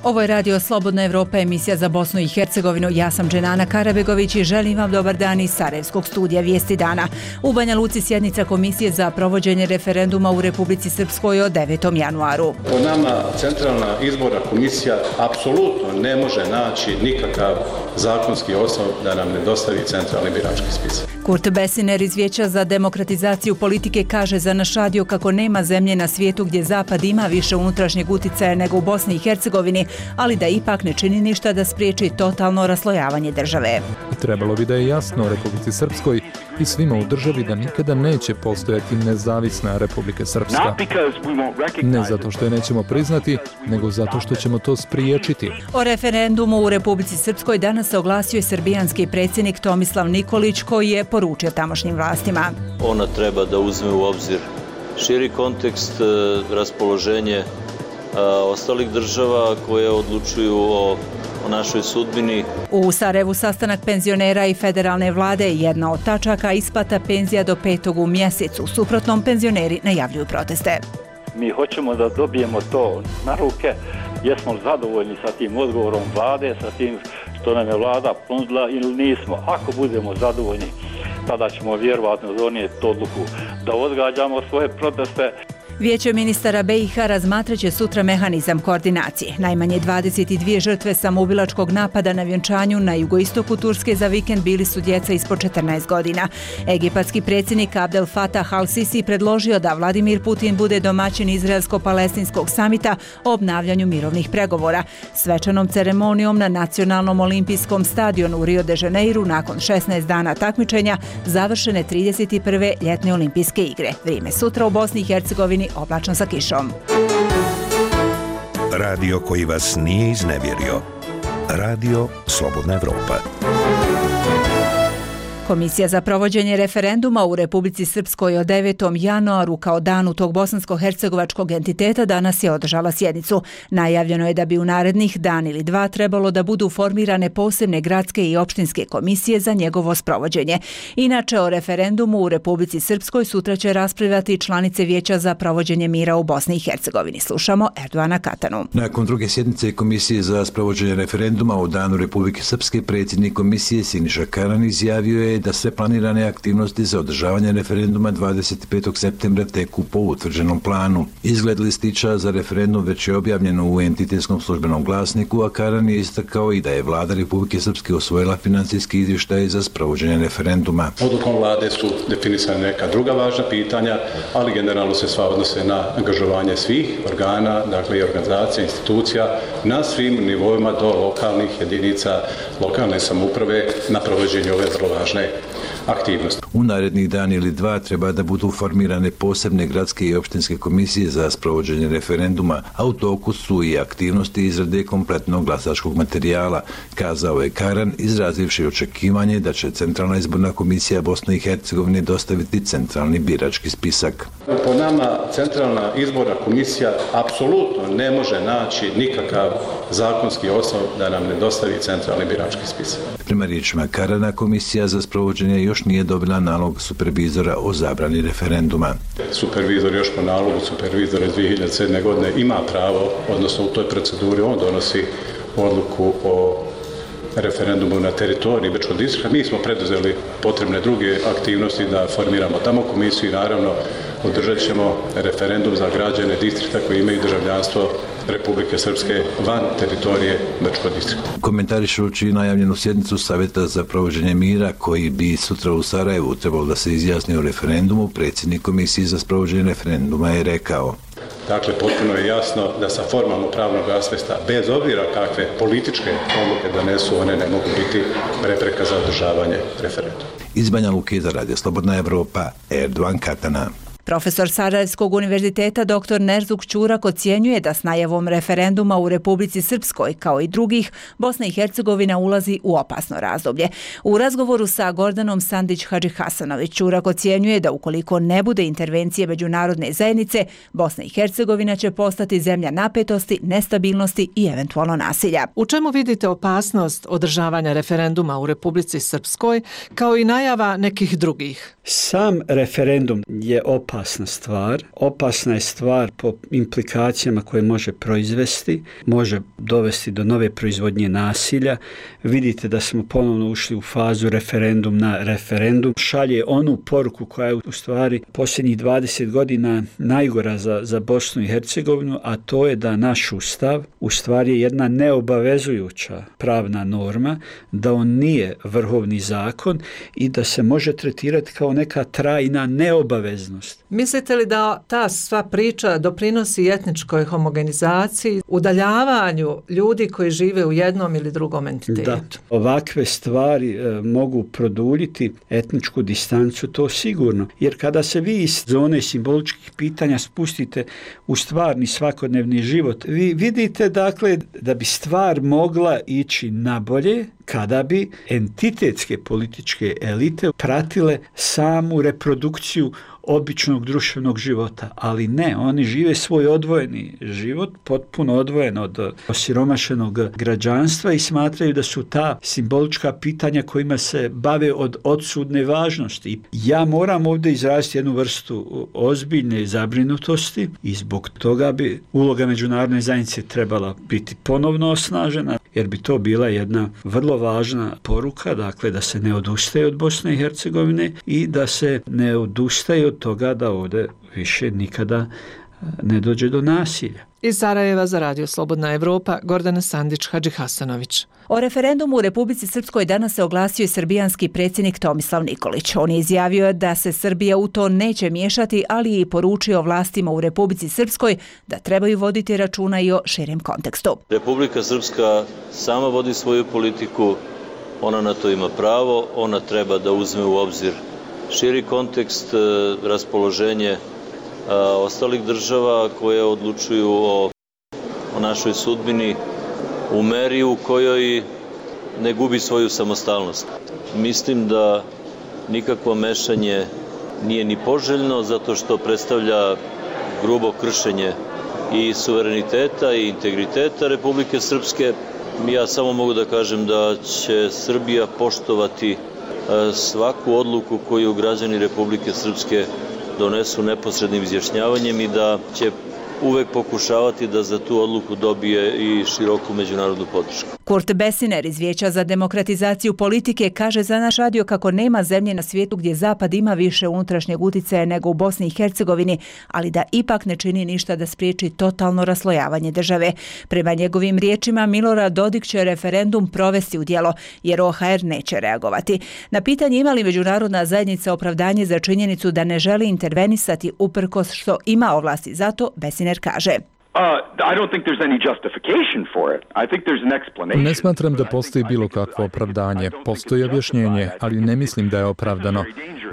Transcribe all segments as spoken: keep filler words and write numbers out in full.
Ovo je Radio Slobodna Evropa, emisija za Bosnu i Hercegovinu. Ja sam Dženana Karabegović i želim vam dobar dan iz Sarajevskog studija Vijesti dana. U Banja Luci sjednica Komisije za provođenje referenduma u Republici Srpskoj od devetom januaru. Po nama Centralna izborna komisija apsolutno ne može naći nikakav zakonski osnov da nam ne dostavi centralni birački spisak. Kurt Besiner iz Vijeća za demokratizaciju politike kaže za naš radio kako nema zemlje na svijetu gdje Zapad ima više unutrašnjeg uticaja nego u Bosni i Hercegovini, ali da ipak ne čini ništa da spriječi totalno raslojavanje države. Trebalo bi da je jasno Republici Srpskoj i svima u državi da nikada neće postojati nezavisna Republika Srpska. Ne zato što je nećemo priznati, nego zato što ćemo to spriječiti. O referendumu u Republici Srpskoj danas se oglasio srbijanski predsjednik Tomislav Nikolić, koji je poručio tamošnjim vlastima. Ona treba da uzme u obzir širi kontekst, raspoloženje ostalih država koje odlučuju o, o našoj sudbini. U Sarajevu sastanak penzionera i federalne vlade je jedna od tačaka isplata penzija do petog u mjesecu. U suprotnom, penzioneri najavljuju proteste. Mi hoćemo da dobijemo to na ruke. Jesmo zadovoljni sa tim odgovorom vlade, sa tim što nam je vlada ponudila ili nismo. Ako budemo zadovoljni, tada ćemo vjerovatno donijeti odluku da odgađamo svoje proteste. Vijeće ministara B i H razmatrat će sutra mehanizam koordinacije. Najmanje dvadeset dvije žrtve samoubilačkog napada na vjenčanju na jugoistoku Turske za vikend bili su djeca ispod četrnaest godina. Egipatski predsjednik Abdel Fattah al-Sisi predložio da Vladimir Putin bude domaćin izraelsko-palestinskog samita o obnavljanju mirovnih pregovora. Svečanom ceremonijom na Nacionalnom olimpijskom stadionu u Rio de Janeiru nakon šesnaest dana takmičenja završene trideset prve ljetne olimpijske igre. Vrijeme sutra u Bosni i Hercegovini oblačno sa kišom. Radio koji vas nije iznevjerio. Radio Slobodna Evropa. Komisija za provođenje referenduma u Republici Srpskoj od devetom januaru kao danu tog bosansko-hercegovačkog entiteta danas je održala sjednicu. Najavljeno je da bi u narednih dan ili dva trebalo da budu formirane posebne gradske i opštinske komisije za njegovo sprovođenje. Inače, o referendumu u Republici Srpskoj sutra će raspravljati članice Vijeća za provođenje mira u Bosni i Hercegovini. Slušamo Erdoana Katanu. Nakon druge sjednice Komisije za sprovođenje referenduma u danu Republike Srpske, predsjednik komisije Siniša Karan izjavio je da sve planirane aktivnosti za održavanje referenduma dvadeset petog septembra teku po utvrđenom planu. Izgled listića za referendum već je objavljeno u entitetskom službenom glasniku, a Karan je istakao i da je vlada Republike Srpske osvojila financijski izvještaj za sprovođenje referenduma. Odlukom vlade su definisane neka druga važna pitanja, ali generalno se sva odnose na angažovanje svih organa, dakle i organizacija, institucija, na svim nivoima do lokalnih jedinica, lokalne samouprave na provođenju ove vrlo važne aktivnosti. U narednih dan ili dva treba da budu formirane posebne gradske i opštinske komisije za sprovođenje referenduma, a u toku su i aktivnosti izrade kompletnog glasačkog materijala, kazao je Karan, izrazivši očekivanje da će Centralna izborna komisija Bosne i Hercegovine dostaviti centralni birački spisak. Po nama Centralna izborna komisija apsolutno ne može naći nikakav zakonski osnov da nam ne dostavi centralni birački spisak. Prema riječima Karana, komisija za sprovođenje još nije dobila nalog supervizora o zabrani referenduma. Supervizor još po nalogu supervizora iz dvije hiljade sedme. godine ima pravo, odnosno u toj proceduri on donosi odluku o referendumu na teritoriji Bečkog distrikta. Mi smo preduzeli potrebne druge aktivnosti da formiramo tamo komisiju i naravno održat ćemo referendum za građane distrikta koji imaju državljanstvo Republike Srpske van teritorije Bečkog distrikta. Komentarišući najavljenu sjednicu Savjeta za provođenje mira koji bi sutra u Sarajevu trebalo da se izjasni o referendumu, predsjednik Komisije za sprovođenje referenduma je rekao: Dakle, potpuno je jasno da sa formalno pravnog aspekta, bez obzira kakve političke odluke donesu, one ne mogu biti prepreka za održavanje referenduma. Iz Banja Luke za Radio Slobodna Evropa, Erdoan Katana. Profesor Sarajevskog univerziteta doktor Nerzuk Ćurak ocjenjuje da s najavom referenduma u Republici Srpskoj, kao i drugih, Bosna i Hercegovina ulazi u opasno razdoblje. U razgovoru sa Gordanom Sandić-Hadžihasanović, Ćurak ocjenjuje da ukoliko ne bude intervencije međunarodne zajednice, Bosna i Hercegovina će postati zemlja napetosti, nestabilnosti i eventualno nasilja. U čemu vidite opasnost održavanja referenduma u Republici Srpskoj, kao i najava nekih drugih? Sam referendum je opasan opasna stvar. Opasna je stvar po implikacijama koje može proizvesti, može dovesti do nove proizvodnje nasilja. Vidite da smo ponovno ušli u fazu referendum na referendum. Šalje onu poruku koja je u stvari posljednjih dvadeset godina najgora za, za Bosnu i Hercegovinu, a to je da naš ustav u stvari je jedna neobavezujuća pravna norma, da on nije vrhovni zakon i da se može tretirati kao neka trajna neobaveznost. Mislite li da ta sva priča doprinosi etničkoj homogenizaciji, udaljavanju ljudi koji žive u jednom ili drugom entitetu? Da, ovakve stvari e, mogu produljiti etničku distancu, to sigurno. Jer kada se vi iz zone simboličkih pitanja spustite u stvarni svakodnevni život, vi vidite dakle da bi stvar mogla ići nabolje kada bi entitetske političke elite pratile samu reprodukciju običnog društvenog života, ali ne, oni žive svoj odvojeni život, potpuno odvojen od osiromašenog građanstva i smatraju da su ta simbolička pitanja kojima se bave od odsudne važnosti. Ja moram ovdje izraziti jednu vrstu ozbiljne zabrinutosti i zbog toga bi uloga međunarodne zajednice trebala biti ponovno osnažena, jer bi to bila jedna vrlo važna poruka, dakle da se ne odustaje od Bosne i Hercegovine i da se ne odustaje od toga da ovdje više nikada ne dođe do nasilja. Iz Sarajeva za Radio Slobodna Evropa, Gordana Sandić-Hadžihasanović. O referendumu u Republici Srpskoj danas se oglasio i srbijanski predsjednik Tomislav Nikolić. On je izjavio da se Srbija u to neće miješati, ali je i poručio vlastima u Republici Srpskoj da trebaju voditi računa i o širem kontekstu. Republika Srpska sama vodi svoju politiku, ona na to ima pravo, ona treba da uzme u obzir širi kontekst, raspoloženje ostalih država koje odlučuju o, o našoj sudbini u meri u kojoj ne gubi svoju samostalnost. Mislim da nikakvo mešanje nije ni poželjno zato što predstavlja grubo kršenje i suvereniteta i integriteta Republike Srpske. Ja samo mogu da kažem da će Srbija poštovati svaku odluku koju građani Republike Srpske donesu neposrednim izjašnjavanjem i da će uvek pokušavati da za tu odluku dobije i široku međunarodnu podršku. Kurt Besiner iz Vijeća za demokratizaciju politike kaže za naš radio kako nema zemlje na svijetu gdje Zapad ima više unutrašnjeg uticaja nego u Bosni i Hercegovini, ali da ipak ne čini ništa da spriječi totalno raslojavanje države. Prema njegovim riječima Milorad Dodik će referendum provesti u djelo, jer O H R neće reagovati. Na pitanje ima li međunarodna zajednica opravdanje za činjenicu da ne želi intervenisati uprkos što ima ovlasti za to, Besiner kaže. Ne smatram da postoji bilo kakvo opravdanje. Postoji objašnjenje, ali ne mislim da je opravdano.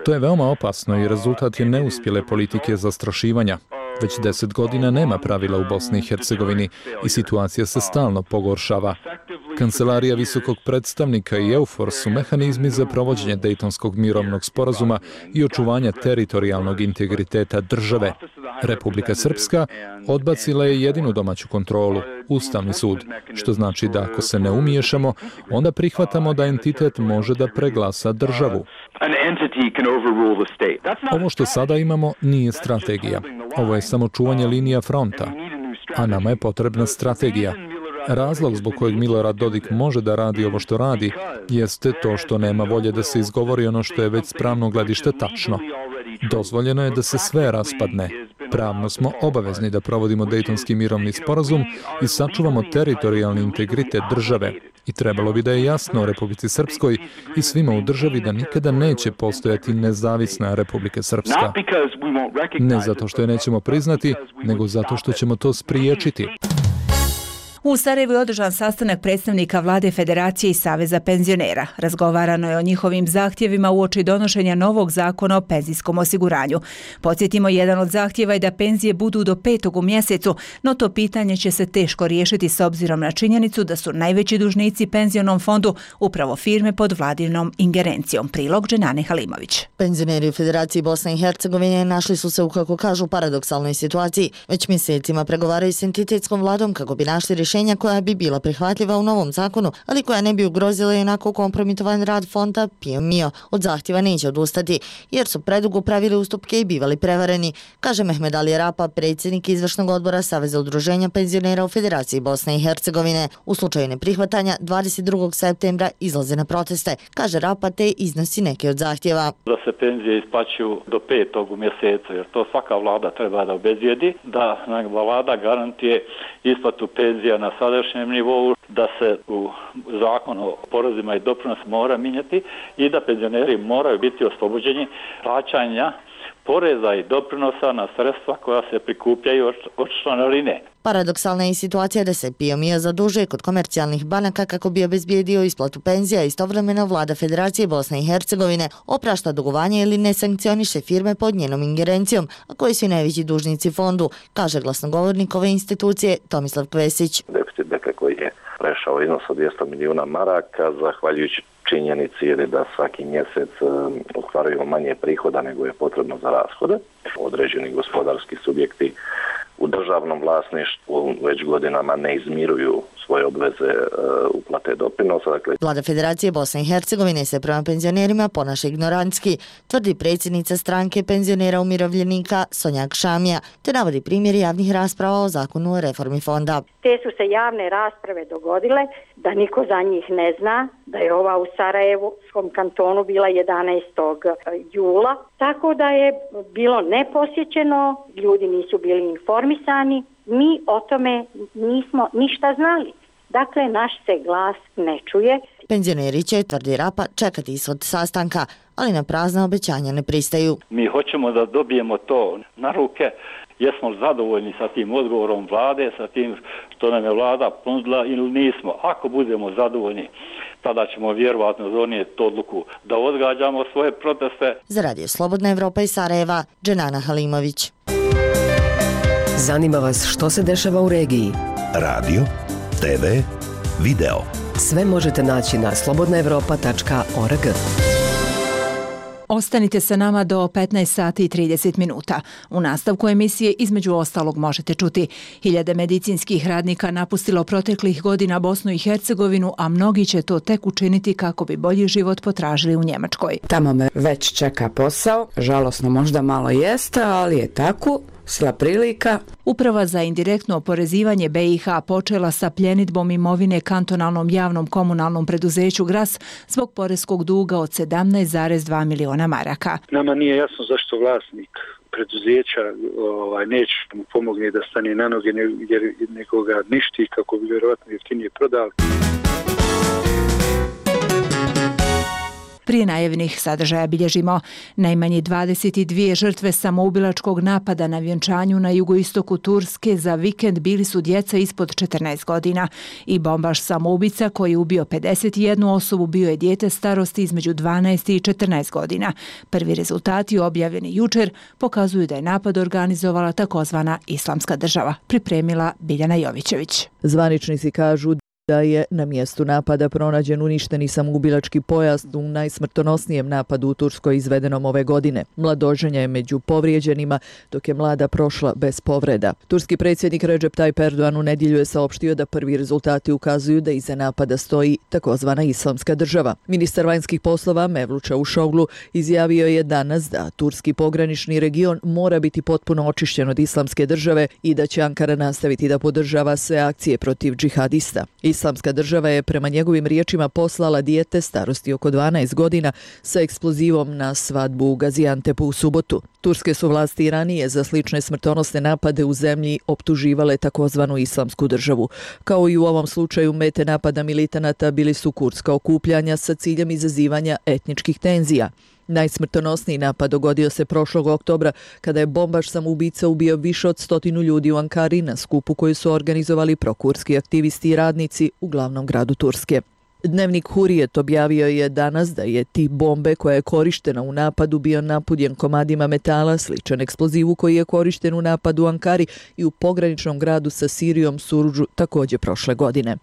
To je veoma opasno i rezultat je neuspjele politike zastrašivanja. Već deset godina nema pravila u Bosni i Hercegovini i situacija se stalno pogoršava. Kancelarija visokog predstavnika i EUFOR su mehanizmi za provođenje Dejtonskog mirovnog sporazuma i očuvanja teritorijalnog integriteta države. Republika Srpska odbacila je jedinu domaću kontrolu, Ustavni sud, što znači da ako se ne umiješamo, onda prihvatamo da entitet može da preglasa državu. Ovo što sada imamo nije strategija. Ovo je samo čuvanje linija fronta, a nama je potrebna strategija. Razlog zbog kojeg Milorad Dodik može da radi ovo što radi jeste to što nema volje da se izgovori ono što je već s pravnog gledišta tačno. Dozvoljeno je da se sve raspadne. Pravno smo obavezni da provodimo Dejtonski mirovni sporazum i sačuvamo teritorijalni integritet države. I trebalo bi da je jasno u Republici Srpskoj i svima u državi da nikada neće postojati nezavisna Republika Srpska. Ne zato što je nećemo priznati, nego zato što ćemo to spriječiti. U Sarajevu je održan sastanak predstavnika Vlade Federacije i Saveza penzionera. Razgovarano je o njihovim zahtjevima uoči donošenja novog zakona o penzijskom osiguranju. Podsjetimo, jedan od zahtjeva je da penzije budu do petog u mjesecu, no to pitanje će se teško riješiti s obzirom na činjenicu da su najveći dužnici penzionom fondu upravo firme pod vladinom ingerencijom. Prilog Dženane Halimović. Penzioneri u Federaciji Bosne i Hercegovine našli su se u, kako kažu, paradoksalnoj situaciji. Već mjesecima pregovaraju s entitetskom vladom kako bi našli rješenje rješenja koja bi bila prihvatljiva u novom zakonu, ali koja ne bi ugrozila jednako kompromitovan rad fonda Pio Mio. Od zahtjeva neće odustati, jer su predugo pravili ustupke i bivali prevareni, kaže Mehmed Ali Rapa, predsjednik izvršnog odbora Saveza udruženja penzionera u Federaciji Bosne i Hercegovine. U slučaju neprihvatanja dvadeset drugog septembra izlaze na proteste, kaže Rapa, te iznosi neke od zahtjeva. Da se penzije isplaćuju do petog u mjesecu, jer to svaka vlada treba da obezbijedi, da vlada garantije isplatu penzija na sadašnjem nivou, da se u zakon o porezima i doprinos mora mijenjati i da penzioneri moraju biti oslobođeni plaćanja poreza i doprinosa na sredstva koja se prikupljaju od članarine. Paradoksalna je i situacija da se Pio Mio zadužuje kod komercijalnih banaka kako bi obezbijedio isplatu penzija. Istovremeno vlada Federacije Bosne i Hercegovine oprašta dugovanje ili ne sankcioniše firme pod njenom ingerencijom, a koji su i najveći dužnici fondu, kaže glasnogovornik ove institucije Tomislav Kvesić. Deficit dakle, koji je prešao iznos od dvjesto milijuna maraka, zahvaljujući činjenici je da svaki mjesec ostvaruju manje prihoda nego je potrebno za rashode. Određeni gospodarski subjekti u državnom vlasništvu već godinama ne izmiruju svoje obveze uh, uplate doprinosa. Dakle, Vlada Federacije Bosne i Hercegovine se prema penzionerima ponaša ignorantski, tvrdi predsjednica stranke penzionera umirovljenika Sonjak Šamija, te navodi primjer javnih rasprava o zakonu o reformi fonda. Te su se javne rasprave dogodile da niko za njih ne zna, da je ova u Sarajevskom kantonu bila jedanaestog jula, tako da je bilo neposjećeno, ljudi nisu bili informisani, mi o tome nismo ništa znali. Dakle, naš se glas ne čuje. Penzioneri će, tvrdi Rapa, čekati ishod sastanka, ali na prazna obećanja ne pristaju. Mi hoćemo da dobijemo to na ruke. Jesmo zadovoljni sa tim odgovorom vlade, sa tim što nam je vlada ponudila ili nismo. Ako budemo zadovoljni, tada ćemo vjerovatno donijeti odluku da odgađamo svoje proteste. Za Radio Slobodna Evropa iz Sarajeva, Dženana Halimović. Zanima vas što se dešava u regiji? Radio, te ve, video. Sve možete naći na slobodna evropa tačka org. Ostanite sa nama do petnaest sati i trideset minuta. U nastavku emisije između ostalog možete čuti: hiljade medicinskih radnika napustilo proteklih godina Bosnu i Hercegovinu, a mnogi će to tek učiniti kako bi bolji život potražili u Njemačkoj. Tamo me već čeka posao, žalosno možda malo jeste, ali je tako. Sla prilika. Uprava za indirektno oporezivanje be i ha počela sa pljenidbom imovine kantonalnom javnom komunalnom preduzeću Gras zbog poreskog duga od sedamnaest zarez dva miliona maraka. Nama nije jasno zašto vlasnik preduzeća ovaj, neće mu pomogne da stane na noge, jer nego ga ništi kako bi vjerovatno jeftinije prodali. Prije najavljenih sadržaja bilježimo: najmanje dvadeset dvije žrtve samoubilačkog napada na vjenčanju na jugoistoku Turske za vikend bili su djeca ispod četrnaest godina i bombaš samoubica koji je ubio pedeset jednu osobu bio je dijete starosti između dvanaest i četrnaest godina. Prvi rezultati objavljeni jučer pokazuju da je napad organizovala takozvana Islamska država, pripremila Biljana Jovićević. Zvaničnici kažu da je na mjestu napada pronađen uništeni samoubilački pojas u najsmrtonosnijem napadu u Turskoj izvedenom ove godine. Mladoženja je među povrijeđenima, dok je mlada prošla bez povreda. Turski predsjednik Recep Tayyip Erdogan u nedjelju je saopštio da prvi rezultati ukazuju da iza napada stoji takozvana Islamska država. Ministar vanjskih poslova Mevlut Čavuşoglu izjavio je danas da turski pogranični region mora biti potpuno očišćen od Islamske države i da će Ankara nastaviti da podržava sve akcije protiv džihadista. Islamska država je prema njegovim riječima poslala dijete starosti oko dvanaest godina sa eksplozivom na svadbu u Gaziantepu u subotu. Turske su vlasti ranije za slične smrtonosne napade u zemlji optuživale takozvanu Islamsku državu. Kao i u ovom slučaju, mete napada militanata bili su kurdska okupljanja sa ciljem izazivanja etničkih tenzija. Najsmrtonosniji napad dogodio se prošlog oktobra kada je bombaš samoubica ubio više od stotinu ljudi u Ankari na skupu koju su organizovali prokurski aktivisti i radnici u glavnom gradu Turske. Dnevnik Hurijet objavio je danas da je tip bombe koja je korištena u napadu bio napunjen komadima metala sličan eksplozivu koji je korišten u napadu u Ankari i u pograničnom gradu sa Sirijom Surudžu također prošle godine.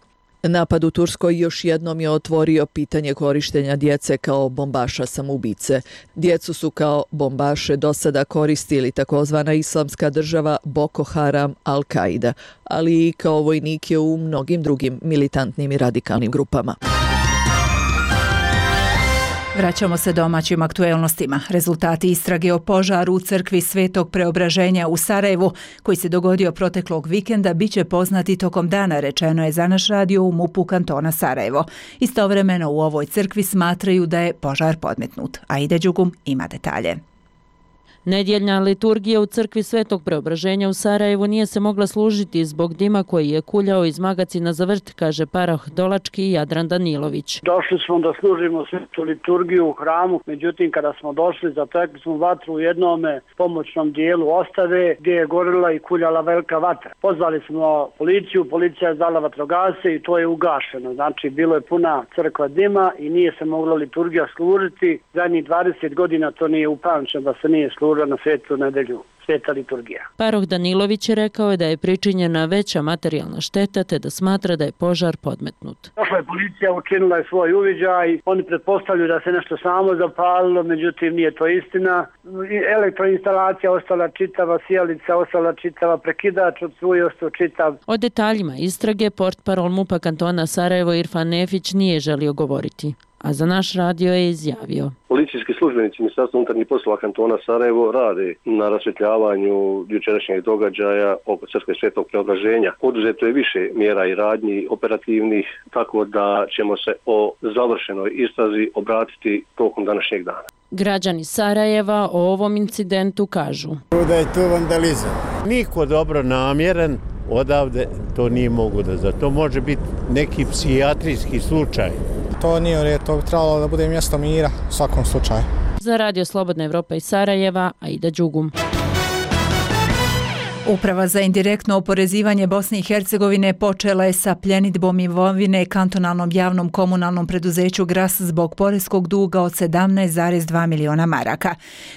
Napad u Turskoj još jednom je otvorio pitanje korištenja djece kao bombaša samoubice. Djecu su kao bombaše do sada koristili takozvana islamska država Boko Haram, Al-Qaida, ali i kao vojnike u mnogim drugim militantnim i radikalnim grupama. Vraćamo se domaćim aktuelnostima. Rezultati istrage o požaru u crkvi Svetog Preobraženja u Sarajevu, koji se dogodio proteklog vikenda, bit će poznati tokom dana, rečeno je za naš radio u MUP-u kantona Sarajevo. Istovremeno u ovoj crkvi smatraju da je požar podmetnut. Aida Đugum ima detalje. Nedjeljna liturgija u crkvi Svetog Preobraženja u Sarajevu nije se mogla služiti zbog dima koji je kuljao iz magacina za vrt, kaže parah Dolački i Jadran Danilović. Došli smo da služimo svetu liturgiju u hramu, međutim kada smo došli zatekli smo vatru u jednome pomoćnom dijelu ostave gdje je gorila i kuljala velika vatra. Pozvali smo policiju, policija je dala vatrogasce i to je ugašeno. Znači bilo je puna crkva dima i nije se mogla liturgija služiti. Zadnjih dvadeset godina to nije upamćeno da se nije služilo na svetu nedelju, sveta liturgija. Paroh Danilović je rekao je da je pričinjena veća materijalna šteta te da smatra da je požar podmetnut. Došla je policija, učinila je svoj uviđaj, oni pretpostavljaju da se nešto samo zapalilo, međutim nije to istina. Elektroinstalacija ostala čitava, sijalica ostala čitava, prekidač od svoj ostao čitav. O detaljima istrage portparol MUP-a kantona Sarajevo Irfan Nefić nije želio govoriti, a za naš radio je izjavio. Policijski službenici Ministarstva unutarnjih poslova kantona Sarajevo rade na rasvjetljavaju jučerašnjeg događaja oko crkve Svetog Preobraženja. Poduzeto je više mjera i radnji operativnih, tako da ćemo se o završenoj istrazi obratiti tokom današnjeg dana. Građani Sarajeva o ovom incidentu kažu da je to vandalizam. Niko dobro namjeren odavde to nije mogu da za to može biti neki psihijatrijski slučaj. To nije u redu, to bi trebalo da bude mjesto mira u svakom slučaju. Za radio Slobodna Evropa iz Sarajeva, Aida Đugum. Uprava za indirektno oporezivanje Bosne i Hercegovine počela je sa pljenidbom imovine kantonalnom javnom komunalnom preduzeću Gras zbog poreskog duga od sedamnaest zarez dva miliona maraka.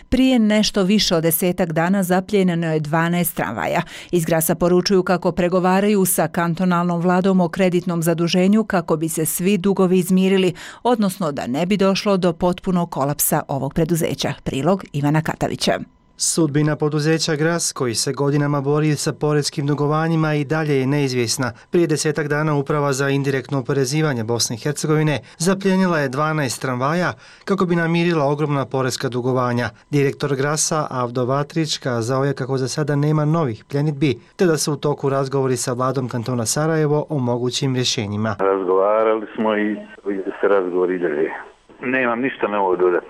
Prije nešto više od desetak dana zapljenjeno je dvanaest tramvaja. Iz Grasa poručuju kako pregovaraju sa kantonalnom vladom o kreditnom zaduženju kako bi se svi dugovi izmirili, odnosno da ne bi došlo do potpunog kolapsa ovog preduzeća. Prilog Ivana Katavića. Sudbina poduzeća Gras, koji se godinama bori sa poreskim dugovanjima, i dalje je neizvjesna. Prije desetak dana Uprava za indirektno oporezivanje Bosne i Hercegovine zapljenila je dvanaest tramvaja kako bi namirila ogromna poreska dugovanja. Direktor Grasa Avdo Vatrić kazao je kako za sada nema novih pljenidbi, te da su u toku razgovori sa vladom kantona Sarajevo o mogućim rješenjima. Razgovarali smo i se razgovori drži. Nemam ništa novo dodati.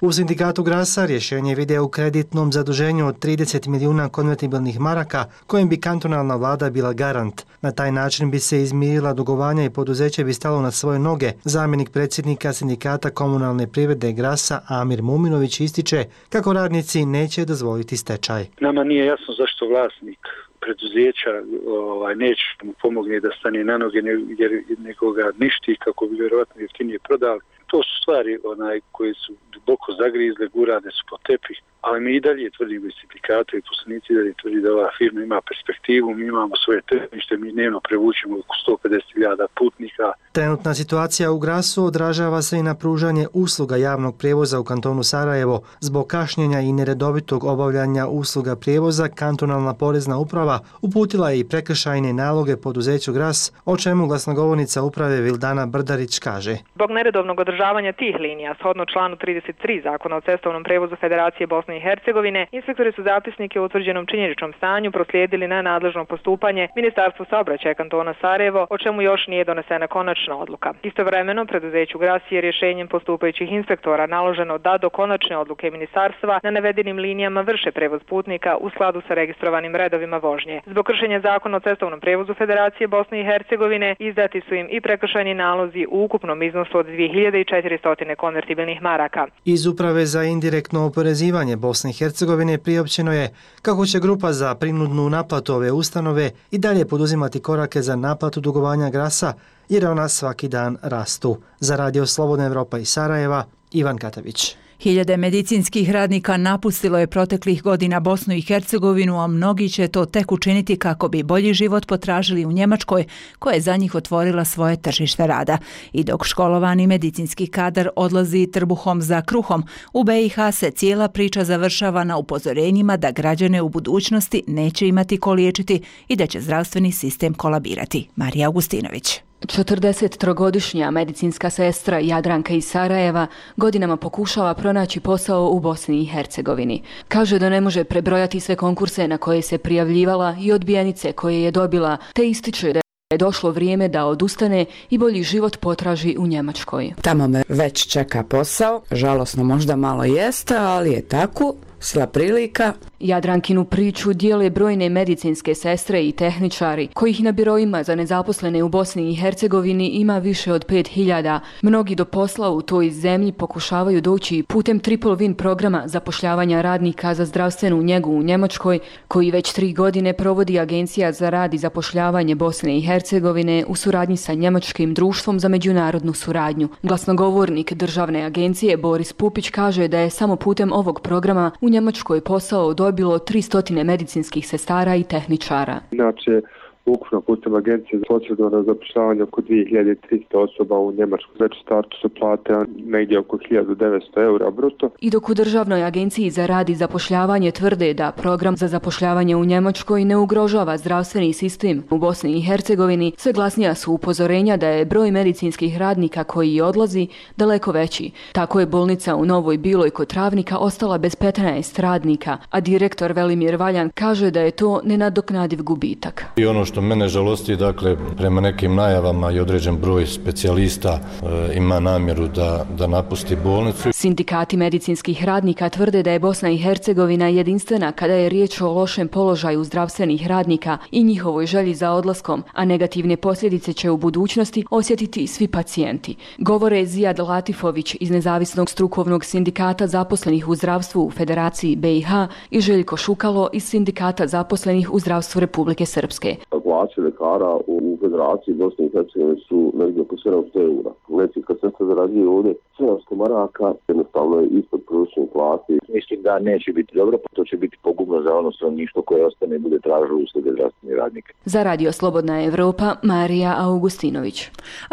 U sindikatu Grasa rješenje vide u kreditnom zaduženju od trideset milijuna konvertibilnih maraka kojim bi kantonalna vlada bila garant. Na taj način bi se izmirila dugovanja i poduzeće bi stalo na svoje noge. Zamjenik predsjednika sindikata komunalne privrede Grasa Amir Muminović ističe kako radnici neće dozvoliti stečaj. Nama nije jasno zašto vlasnik preduzeća ovaj, neće mu pomogne da stane na noge jer nego ga ništi kako bi vjerovatno jeftinije prodali. To su stvari onaj, koje su duboko zagrizle, gurane su po tepih, ali mi i dalje tvrdimo i sindikata i poslanici i dalje tvrdi da ova firma ima perspektivu, mi imamo svoje tržište, mi dnevno prevučemo oko sto pedeset hiljada putnika. Trenutna situacija u Grasu odražava se i na pružanje usluga javnog prijevoza u kantonu Sarajevo. Zbog kašnjenja i neredovitog obavljanja usluga prijevoza, kantonalna porezna uprava uputila je i prekršajne naloge poduzeću Gras, o čemu glasnogovornica uprave Vildana Brdarić kaže. Zbog neredovnog održavanja tih linija, shodno članu trideset tri Zakona o cestovnom prevozu Federacije Bosne i Hercegovine, inspektori su zapisnike o utvrđenom činjeničnom stanju proslijedili na nadležno postupanje Ministarstvu saobraćaja kantona Sarajevo, o čemu još nije donesena konačna odluka. Istovremeno, preduzeću Gras je rješenjem postupajućih inspektora naloženo da do konačne odluke ministarstva na navedenim linijama vrše prevoz putnika u skladu sa registrovanim redovima vožnje. Zbog kršenja Zakona o cestovnom prevozu Federacije Bosne i Hercegovine izdati su im i prekršajni nalozi u ukupnom iznosu od dvije hiljade četiristo konvertibilnih maraka. Iz Uprave za indirektno oporezivanje Bosne i Hercegovine priopćeno je kako će grupa za prinudnu naplatu ove ustanove i dalje poduzimati korake za naplatu dugovanja Grasa, jer ona svaki dan rastu. Za radio Slobodna Evropa iz Sarajeva, Ivan Katavić. Hiljade medicinskih radnika napustilo je proteklih godina Bosnu i Hercegovinu, a mnogi će to tek učiniti kako bi bolji život potražili u Njemačkoj, koja je za njih otvorila svoje tržište rada. I dok školovani medicinski kadar odlazi trbuhom za kruhom, u B i H se cijela priča završava na upozorenjima da građane u budućnosti neće imati ko liječiti i da će zdravstveni sistem kolabirati. Marija Augustinović. četrdesettrogodišnja medicinska sestra Jadranka iz Sarajeva godinama pokušava pronaći posao u Bosni i Hercegovini. Kaže da ne može prebrojati sve konkurse na koje se prijavljivala i odbijenice koje je dobila, te ističe da je došlo vrijeme da odustane i bolji život potraži u Njemačkoj. Tamo me već čeka posao, žalosno možda malo jeste, ali je tako. Sva prilika. Jadrankinu priču dijele brojne medicinske sestre i tehničari, kojih na biroima za nezaposlene u Bosni i Hercegovini ima više od pet hiljada. Mnogi do posla u toj zemlji pokušavaju doći putem Triple Win programa zapošljavanja radnika za zdravstvenu njegu u Njemačkoj, koji već tri godine provodi Agencija za rad i zapošljavanje Bosne i Hercegovine u suradnji sa Njemačkim društvom za međunarodnu suradnju. Glasnogovornik državne agencije Boris Pupić kaže da je samo putem ovog programa u Njemačkoj posao dobilo tristo medicinskih sestara i tehničara. Inače, ukupno putem agencije za socijalno zapošljavanje oko dvije hiljade tristo osoba u Njemačkoj. Već startu su plate negdje oko hiljadu devetsto eura bruto. I dok u državnoj agenciji za rad i zapošljavanje tvrde da program za zapošljavanje u Njemačkoj ne ugrožava zdravstveni sistem u Bosni i Hercegovini, sve glasnija su upozorenja da je broj medicinskih radnika koji odlazi daleko veći. Tako je bolnica u Novoj Biloj kod Travnika ostala bez petnaest radnika, a direktor Velimir Valjan kaže da je to nenadoknadiv gubitak. I ono što mene žalosti, dakle, prema nekim najavama i određen broj specijalista e, ima namjeru da, da napusti bolnicu. Sindikati medicinskih radnika tvrde da je Bosna i Hercegovina jedinstvena kada je riječ o lošem položaju zdravstvenih radnika i njihovoj želji za odlaskom, a negativne posljedice će u budućnosti osjetiti svi pacijenti. Govore Zijad Latifović iz Nezavisnog strukovnog sindikata zaposlenih u zdravstvu u Federaciji B i H i Željko Šukalo iz Sindikata zaposlenih u zdravstvu Republike Srpske. Plaće lekara u Federaciji Bosne i Hercegovine su negdje oko sedamsto eura. Medicinska sestra zarađuje ovdje sedamsto maraka, jednostavno je ispod prosječne plate. Mislim da neće biti dobro, pa to će biti pogubno za ono stanovništvo koje ostane i bude tražilo usluge zdravstveni radnik. Za Radio Slobodna Evropa, Marija Augustinović.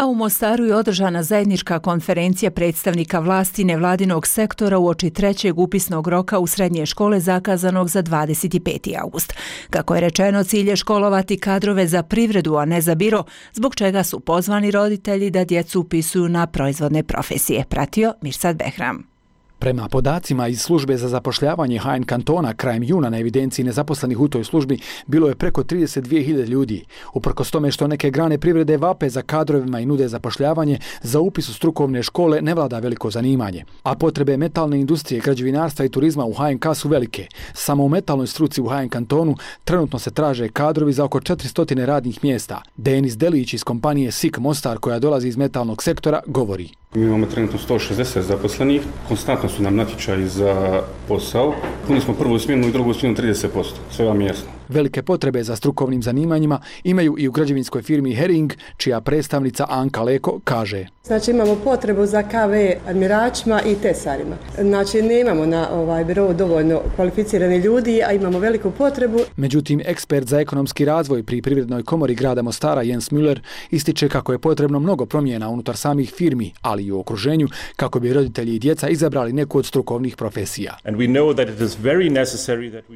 A u Mostaru je održana zajednička konferencija predstavnika vlasti nevladinog sektora uoči trećeg upisnog roka u srednje škole zakazanog za dvadeset peti august. Kako je rečeno, cilj je školovati kadrove za privredu, a ne za biro, zbog čega su pozvani roditelji da djecu upisuju na proizvodne profesije. Pratio Mirsad Behram. Prema podacima iz službe za zapošljavanje H N kantona, krajem juna na evidenciji nezaposlenih u toj službi bilo je preko trideset dvije hiljade ljudi. Uprkos tome što neke grane privrede vape za kadrovima i nude zapošljavanje, za upis u strukovne škole ne vlada veliko zanimanje. A potrebe metalne industrije, građevinarstva i turizma u H N K su velike. Samo u metalnoj struci u H N kantonu trenutno se traže kadrovi za oko četiristo radnih mjesta. Denis Delić iz kompanije S I K Mostar, koja dolazi iz metalnog sektora, govori. Mi imamo trenutno sto šezdeset zaposlenih, konstantno su nam natječaji za posao. Puni smo prvu smjenu i drugu smjenu trideset posto, sve vam jasno. Velike potrebe za strukovnim zanimanjima imaju i u građevinskoj firmi Hering, čija predstavnica Anka Leko kaže. Znači imamo potrebu za K V admiračima i tesarima. Znači nemamo na ovaj biro dovoljno kvalificirani ljudi, a imamo veliku potrebu. Međutim, ekspert za ekonomski razvoj pri Privrednoj komori grada Mostara Jens Müller ističe kako je potrebno mnogo promjena unutar samih firmi, ali i u okruženju, kako bi roditelji i djeca izabrali neku od strukovnih profesija.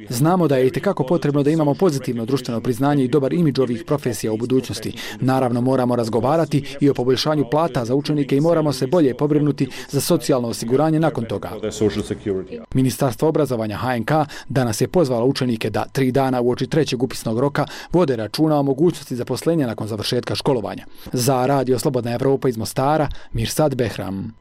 Znamo da je itekako potrebno da imamo pozitivno društveno priznanje i dobar imidž ovih profesija u budućnosti. Naravno, moramo razgovarati i o poboljšanju plata za učenike i moramo se bolje pobrinuti za socijalno osiguranje nakon toga. Ministarstvo obrazovanja H N K danas je pozvalo učenike da tri dana uoči trećeg upisnog roka vode računa o mogućnosti zaposlenja nakon završetka školovanja. Za Radio Slobodna Evropa iz Mostara, Mirsad Behram.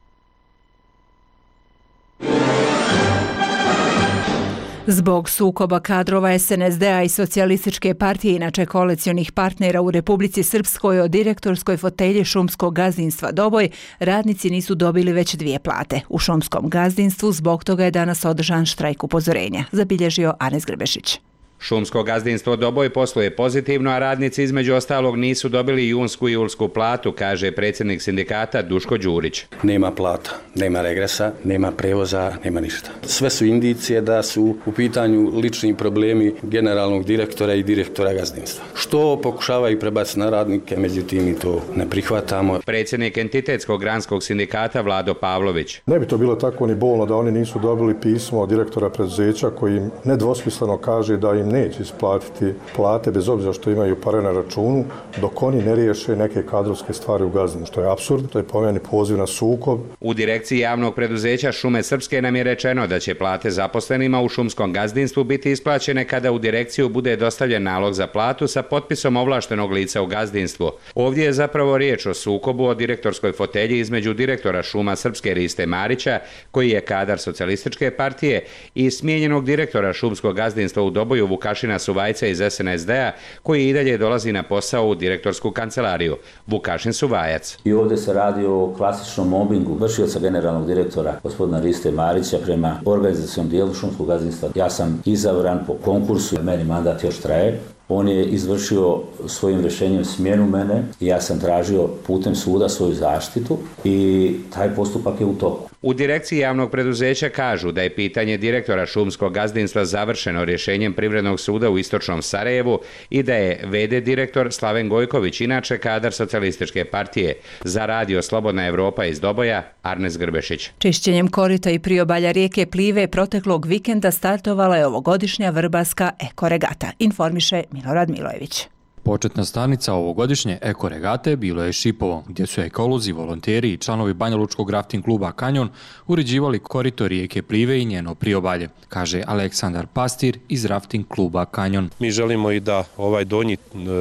Zbog sukoba kadrova S N S D-a i Socijalističke partije, inače koalicionih partnera u Republici Srpskoj, o direktorskoj fotelji šumskog gazdinstva Doboj, radnici nisu dobili već dvije plate. U šumskom gazdinstvu zbog toga je danas održan štrajk upozorenja, zabilježio Anes Grbešić. Šumsko gazdinstvo Doboj posluje pozitivno, a radnici između ostalog nisu dobili junsku i julsku platu, kaže predsjednik sindikata Duško Đurić. Nema plata, nema regresa, nema prevoza, nema ništa. Sve su indicije da su u pitanju lični problemi generalnog direktora i direktora gazdinstva. Što pokušavaju prebaciti na radnike, međutim mi to ne prihvatamo. Predsjednik entitetskog granskog sindikata Vlado Pavlović. Ne bi to bilo tako ni bolno da oni nisu dobili pismo od direktora preduzeća koji im nedvosmisleno kaže da im neće isplatiti plate bez obzira što imaju pare na računu dok oni ne riješe neke kadrovske stvari u gazdinstvu, što je apsurd, to je po meni poziv na sukob. U direkciji javnog preduzeća Šume Srpske nam je rečeno da će plate zaposlenima u šumskom gazdinstvu biti isplaćene kada u direkciju bude dostavljen nalog za platu sa potpisom ovlaštenog lica u gazdinstvu. Ovdje je zapravo riječ o sukobu o direktorskoj fotelji između direktora Šuma Srpske Riste Marića, koji je kadar socijalističke partije, i smijenjenog direktora šumskog gazdinstva u Doboju Vukašina Suvajca iz S N S D-a, koji i dalje dolazi na posao u direktorsku kancelariju. Vukašin Suvajac. I ovdje se radi o klasičnom mobingu vršioca generalnog direktora gospodina Riste Marića prema organizacijom dijelu šumskog gazdinstva. Ja sam izabran po konkursu, meni mandat još traje. On je izvršio svojim rješenjem smjenu mene i ja sam tražio putem suda svoju zaštitu i taj postupak je u toku. U direkciji javnog preduzeća kažu da je pitanje direktora šumskog gazdinstva završeno rješenjem Privrednog suda u Istočnom Sarajevu i da je v d direktor Slaven Gojković, inače kadar socijalističke partije. Za radio Slobodna Evropa iz Doboja, Arnes Grbešić. Čišćenjem korita i priobalja rijeke Plive proteklog vikenda startovala je ovogodišnja vrbarska ekoregata, informiše Milorad Milojević. Početna stanica ovogodišnje ekoregate bilo je Šipovo, gdje su ekolozi, volonteri i članovi Banjalučkog rafting kluba Kanjon uređivali korito rijeke Plive i njeno priobalje, kaže Aleksandar Pastir iz rafting kluba Kanjon. Mi želimo i da ovaj donji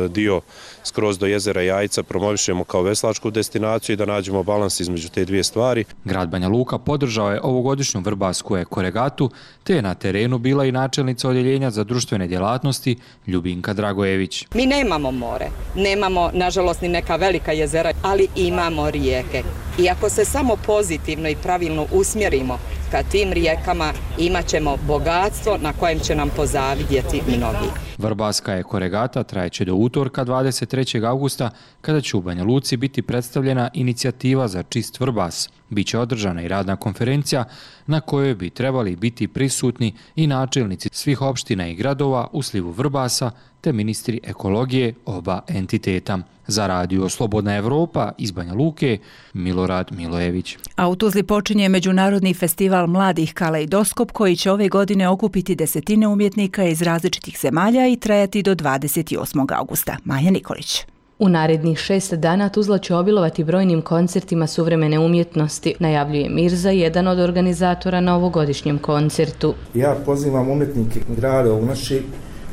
dio skroz do jezera Jajca promovišemo kao veslačku destinaciju i da nađemo balans između te dvije stvari. Grad Banja Luka podržao je ovogodišnju vrbarsku ekoregatu, te je na terenu bila i načelnica odjeljenja za društvene djelatnosti Ljubinka Dragojević. Mi nemamo more, nemamo nažalost ni neka velika jezera, ali imamo rijeke. I ako se samo pozitivno i pravilno usmjerimo ka tim rijekama, imat ćemo bogatstvo na kojem će nam pozavidjeti mnogi. Vrbarska ekoregata trajeće do utorka dvadeset trećeg augusta, kada će u Banja Luci biti predstavljena inicijativa za čist Vrbas. Biće održana i radna konferencija na kojoj bi trebali biti prisutni i načelnici svih opština i gradova u slivu Vrbasa te ministri ekologije oba entiteta. Za radio Slobodna Evropa iz Banja Luke, Milorad Milojević. A u Tuzli počinje Međunarodni festival mladih Kaleidoskop, koji će ove godine okupiti desetine umjetnika iz različitih zemalja i trajati do dvadeset osmog augusta. Maja Nikolić. U narednih šest dana Tuzla će obilovati brojnim koncertima suvremene umjetnosti, najavljuje Mirza, jedan od organizatora na ovogodišnjem koncertu. Ja pozivam umjetnike grada u naši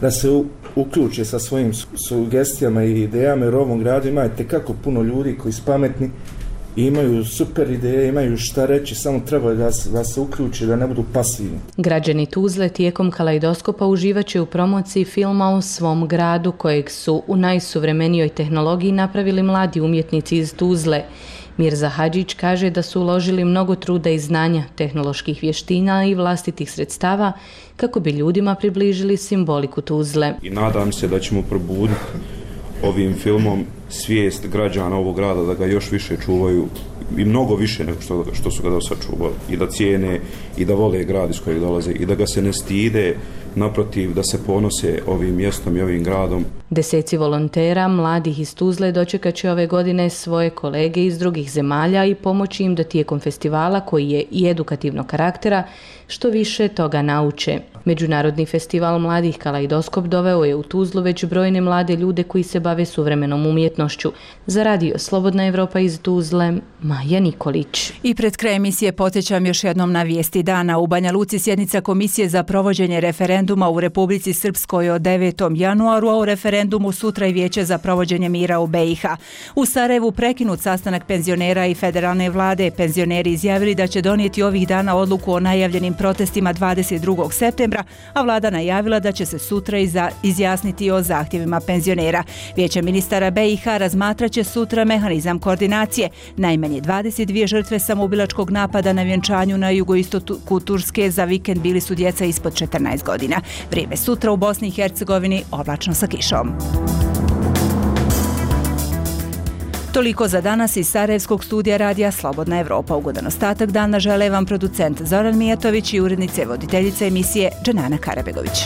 da se u, uključe sa svojim sugestijama i idejama, jer u ovom gradu imate kako puno ljudi koji su pametni, imaju super ideje, imaju šta reći, samo treba da, da se uključe, da ne budu pasivni. Građani Tuzle tijekom Kaleidoskopa uživaće u promociji filma o svom gradu, kojeg su u najsuvremenijoj tehnologiji napravili mladi umjetnici iz Tuzle. Mirza Hadžić kaže da su uložili mnogo truda i znanja, tehnoloških vještina i vlastitih sredstava kako bi ljudima približili simboliku Tuzle. I nadam se da ćemo probuditi ovim filmom svijest građana ovog grada da ga još više čuvaju i mnogo više nego što, što su ga do sad čuvali i da cijene i da vole grad iz kojeg dolaze i da ga se ne stide, naprotiv da se ponose ovim mjestom i ovim gradom. Deseci volontera, mladih iz Tuzle, dočekat će ove godine svoje kolege iz drugih zemalja i pomoći im da tijekom festivala, koji je i edukativnog karaktera, što više toga nauče. Međunarodni festival mladih Kaleidoskop doveo je u Tuzlu već brojne mlade ljude koji se bave suvremenom umjetnošću. Za radio Slobodna Evropa iz Tuzle, Maja Nikolić. I pred kraj emisije podsjećam još jednom na vijesti dana. U Banja Luci sjednica Komisije za provođenje referenduma u Republici Srpskoj od devetog januaru, a u referendumu sutra i Vijeće za provođenje mira u B i H. U Sarajevu prekinut sastanak penzionera i federalne vlade. Penzioneri izjavili da će donijeti ovih dana odluku o najavljenim protestima dvadeset drugog septembra, a vlada najavila da će se sutra izjasniti o zahtjevima penzionera. Vijeće ministara B i H razmatraće sutra mehanizam koordinacije. Najmanje dvadeset dvije žrtve samoubilačkog napada na vjenčanju na jugoistoku Turske za vikend bili su djeca ispod četrnaest godina. Vrijeme sutra u Bosni i Hercegovini oblačno sa kišom. Toliko za danas iz Sarajevskog studija radija Slobodna Evropa. Ugodan ostatak dana žele vam producent Zoran Mijatović i urednice voditeljice emisije Dženana Karabegović.